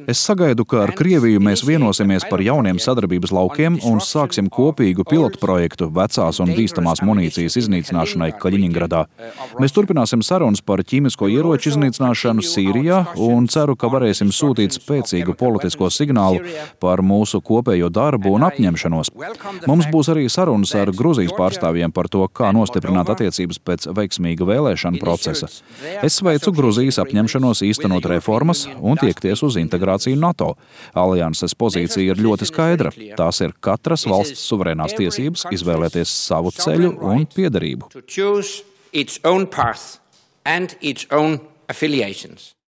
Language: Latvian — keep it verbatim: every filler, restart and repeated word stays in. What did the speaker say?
Es sagaidu, ka ar Krieviju mēs vienosimies par jauniem sadarbības laukiem un sāksim kopīgu pilotprojektu vecās un bīstamās munīcijas iznīcināšanai Kaļiņingradā. Mēs turpināsim sarunas par ķīmisko ieroču iznīcināšanu Sīrijā un ceru, ka varēsim sūtīt spēcīgu politisko signālu par mūsu kopējo darbu un apņemšanos. Mums būs arī sarunas ar Gruzijas pārstāvjiem par to, kā nostiprināt attiecības pēc veiksmīga vēlēšanu procesa. Es sveicu Gruzijas apņemšanos īstenot reformas un tiekties uz integrāciju NATO. Alianses pozīcija ir ļoti skaidra. Tās ir katras valsts suverēnās tiesības izvēlēties savu ceļu un piederību.